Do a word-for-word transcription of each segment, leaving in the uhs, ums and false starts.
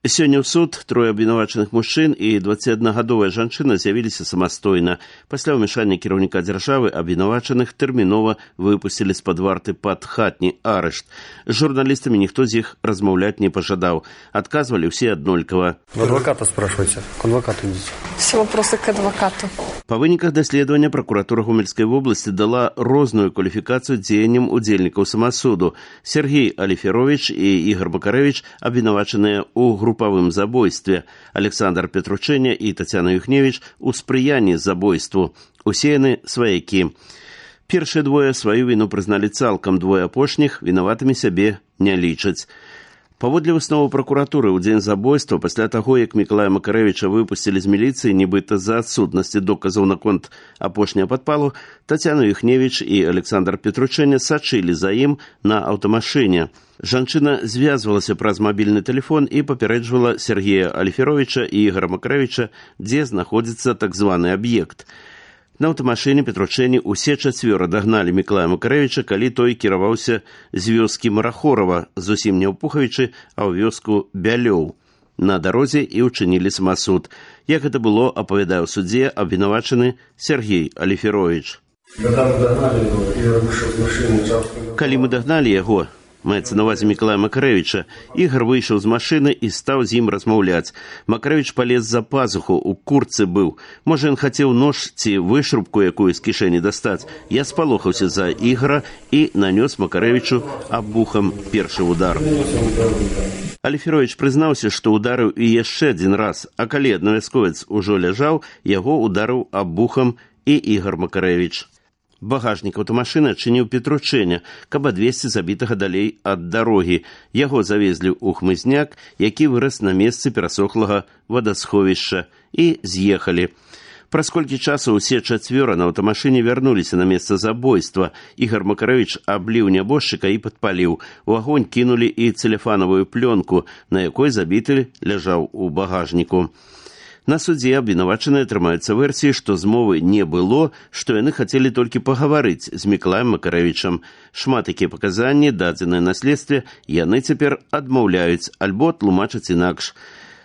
Сёння ў суд трое абвінавачаных мужчын і дваццаціаднагадовая жанчына з'явіліся самастойна. Пасля ўмяшання кіраўніка дзяржавы абвінавачаных тэрмінова выпусцілі з-пад варты пад хатні арышт. З журналістамі ніхто з іх размаўляць не пажадаў. Адказвалі ўсе аднолькава. Адвоката спрашивайте. К адвокату идите. Все вопросы к адвокату. Па выніках даследавання пракуратура Гомельскай вобласці дала розную кваліфікацыю дзеянням удзельнікаў самасуду. Сергей Алиферович і Ігор Макарэвіч абвінавачаныя ў групавым забойстве, Александр Петручэня і Тацяна Юхневіч у спрыянні забойству. Усе яны сваякі. Першыя двое сваю віну прызналі цалкам, двое апошніх вінаватымі сябе не лічаць. Паводле высновы пракуратуры, у дзень забойства, пасля таго, як Мікалая Макарэвіча выпусцілі з міліцыі, нібыта з-за адсутнасці доказаў наконт апошняга падпалу, Тацяна Юхневіч і Александр Петручэня сачылі за ім на аўтамашыне. Жанчына звязвалася праз мабільны тэлефон і папярэджвала Сергея Алиферовича і Ігора Макарэвіча, дзе знаходзіцца так званы аб'ект. На аўтамашыне Петручэні усе чацвёра дагналі Мікалая Макарэвіча, калі той кіраваўся з вёскі Марахорава, зусім не ў Пухавічы, а ў вёску Бялёў. На дарозе і ўчынілі самасуд. Як гэта было, апавядае ў судзе абвінавачаны Сергей Алиферович. Калі мы дагналі яго, маецца на ўвазе Мікалая Макарэвіча, Ігор выйшаў з машыны і стаў з ім размаўляць. Макарэвіч палез за пазуху, у куртцы быў. Можа, ён хацеў нож ці вышрубку якую з кішэні дастаць. Я спалохаўся за Ігора і нанёс Макарэвічу абухам першы удар. Алиферович прызнаўся, што ударыў і яшчэ адзін раз, а калі аднавясковец ужо ляжаў, яго ударыў абухам і Ігор Макарэвіч. Багажнік аўтамашыны адчыніў Петручэня, каб адвезці забітага далей ад дарогі. Яго завезлі ў хмызняк, які вырас на месцы перасохлага вадасховішча, і з'ехалі. Праз колькі часу ўсе чацвёра на аўтамашыне вярнуліся на месца забойства. Ігор Макарэвіч абліў нябожчыка і падпаліў. У агонь кінулі і цэлефанавую плёнку, на якой забіты ляжаў у багажніку. На судзе абвінавачаныя трымаюцца версіі, што змовы не было, што яны хацелі толькі пагаварыць з Мікалаем Макарэвічам. Шмат якія паказанні, дадзеныя на следстве, яны цяпер адмаўляюць альбо тлумачаць інакш.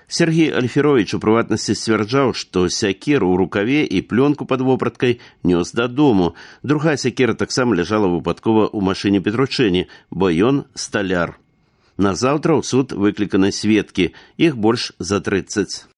Сергей Алиферович у прыватнасці сцвярджаў, што сякеру ў рукаве і плёнку пад вопраткай нёс дадому. Другая сякера таксама ляжала выпадкова ў машыне Петручэні, бо ён сталяр. Назаўтра ў суд выкліканы сведкі, іх больш за трыццаць.